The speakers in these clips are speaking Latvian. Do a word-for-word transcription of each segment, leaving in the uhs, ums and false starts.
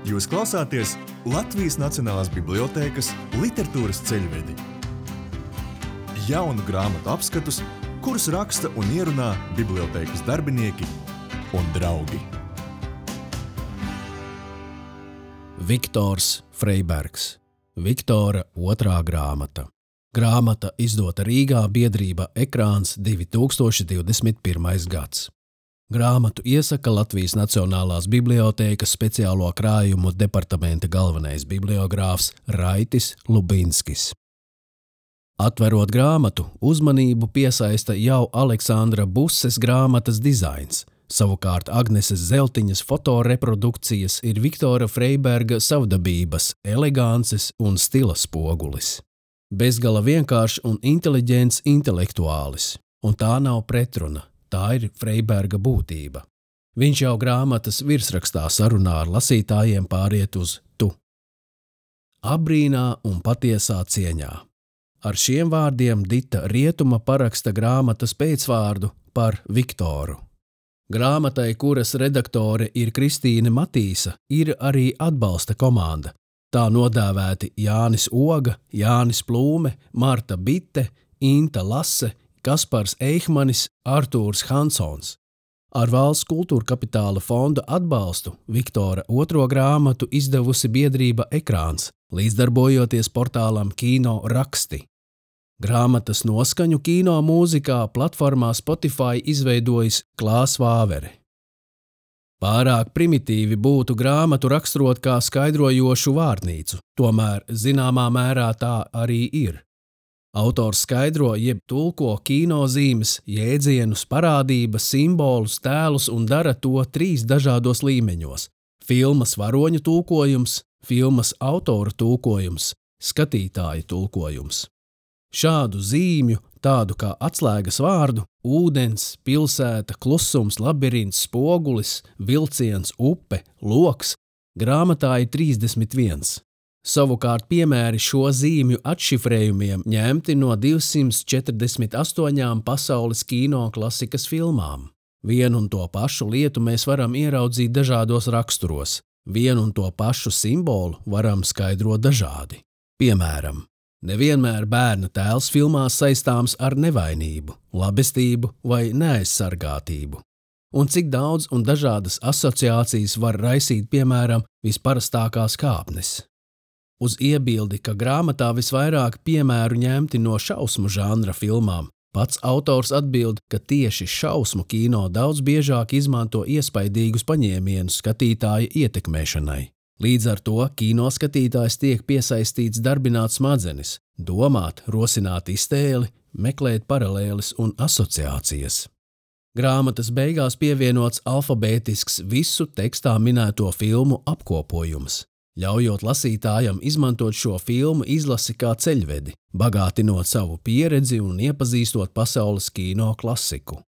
Jūs klausāties Latvijas Nacionālās bibliotēkas literatūras ceļvedi. Jaunu grāmatu apskatus, kurus raksta un ierunā bibliotēkas darbinieki un draugi. Viktors Freibergs. Viktora otrā grāmata. Grāmata izdota Rīgā biedrība Ekrāns divi tūkstoši divdesmit pirmais gads. Grāmatu iesaka Latvijas Nacionālās bibliotēkas speciālo krājumu departamenta galvenais bibliogrāfs Raitis Lubinskis. Atverot grāmatu, uzmanību piesaista jau Aleksandra Buses grāmatas dizains. Savukārt Agneses Zeltiņas fotoreprodukcijas ir Viktora Freiberga savdabības, elegances un stila spogulis. Bezgala vienkāršs un inteliģents intelektuālis, un tā nav pretruna. Tā ir Freiberga būtība. Viņš jau grāmatas virsrakstā sarunā ar lasītājiem pāriet uz tu. Abrīnā un patiesā cieņā. Ar šiem vārdiem Dita Rietuma paraksta grāmatas pēcvārdu par Viktoru. Grāmatai, kuras redaktore ir Kristīne Matīsa, ir arī atbalsta komanda. Tā nodēvēti Jānis Oga, Jānis Plūme, Marta Bitte, Inta Lase, Kaspars Eichmanis, Artūrs Hansons. Ar Valsts kultūra kapitāla fonda atbalstu Viktora otro grāmatu izdevusi biedrība Ekrāns, līdzdarbojoties portālam Kino raksti. Grāmatas noskaņu kino mūzikā platformā Spotify izveidojis Klās Vāvere. Pārāk primitīvi būtu grāmatu raksturot kā skaidrojošu vārnīcu, tomēr zināmā mērā tā arī ir. Autors skaidro jeb tulko kinozīmes, jēdzienus, parādības, simbolus, tēlus un dara to trīs dažādos līmeņos – filmas varoņu tulkojums, filmas autora tulkojums, skatītāja tulkojums. Šādu zīmju, tādu kā atslēgas vārdu – ūdens, pilsēta, klusums, labirints, spogulis, vilciens, upe, loks – grāmatā ir trīsdesmit viens. Savukārt piemēri šo zīmju atšifrējumiem ņemti no divsimt četrdesmit astoņām pasaules kino klasikas filmām. Vienu un to pašu lietu mēs varam ieraudzīt dažādos raksturos. Vienu un to pašu simbolu varam skaidrot dažādi. Piemēram, nevienmēr bērna tēls filmās saistāms ar nevainību, labestību vai neaizsargātību. Un cik daudz un dažādas asociācijas var raisīt, piemēram, visparastākās kāpnes. Uz iebildi, ka grāmatā visvairāk piemēru ņemti no šausmu žanra filmām, pats autors atbild, ka tieši šausmu kino daudz biežāk izmanto iespaidīgus paņēmienus skatītāja ietekmēšanai. Līdz ar to kino skatītājs tiek piesaistīts darbināt smadzenes, domāt, rosināt iztēli, meklēt paralēles un asociācijas. Grāmatas beigās pievienots alfabētisks visu tekstā minēto filmu apkopojums, ļaujot lasītājam izmantot šo filmu izlasi kā ceļvedi, bagātinot savu pieredzi un iepazīstot pasaules kino klasiku.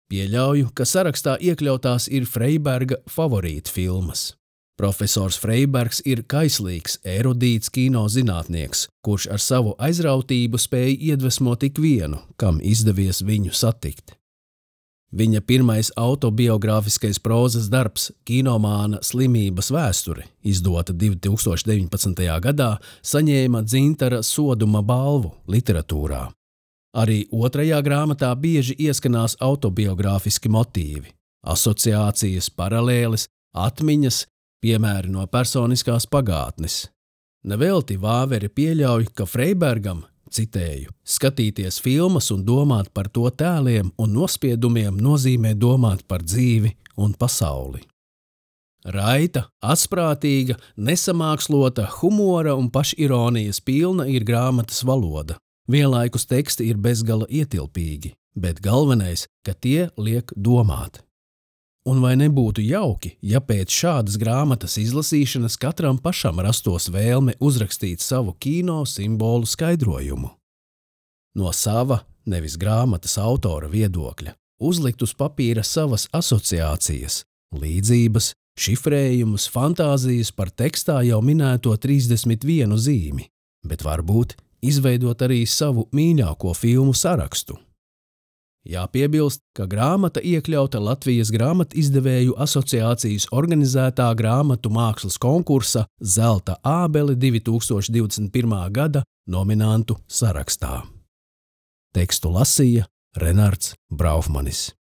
Pieļauju, ka sarakstā iekļautās ir Freiberga favorīta filmas. Profesors Freibergs ir kaislīgs, erudīts kino zinātnieks, kurš ar savu aizrautību spēja iedvesmot ikvienu, kam izdevies viņu satikt. Viņa pirmais autobiogrāfiskais prózas darbs Kinomāna slimības vēsture, izdota divi tūkstoši deviņpadsmitajā gadā, saņēma Dzintara Soduma balvu literatūrā. Arī otrajā grāmatā bieži ieskanās autobiogrāfiski motīvi, asociācijas, paralēles, atmiņas, piemēri no personiskās pagātnes. Nevelti Vāvere pieļauj, ka Freibergam, citēju, skatīties filmas un domāt par to tēliem un nospiedumiem nozīmē domāt par dzīvi un pasauli. Raita, atsprātīga, nesamākslota, humora un pašironijas pilna ir grāmatas valoda. Vienlaikus teksti ir bezgala ietilpīgi, bet galvenais, ka tie liek domāt. Un vai nebūtu jauki, ja pēc šādas grāmatas izlasīšanas katram pašam rastos vēlme uzrakstīt savu kino simbolu skaidrojumu? No sava, nevis grāmatas autora viedokļa, uzlikt uz papīra savas asociācijas, līdzības, šifrējumus, fantāzijas par tekstā jau minēto trīsdesmit vienu zīmi, bet varbūt izveidot arī savu mīļāko filmu sarakstu. Jāpiebilst, ka grāmata iekļauta Latvijas grāmatizdevēju asociācijas organizētā grāmatu mākslas konkursa Zelta ābele divi tūkstoši divdesmit pirmā gada nominantu sarakstā. Tekstu lasīja Renards Braufmanis.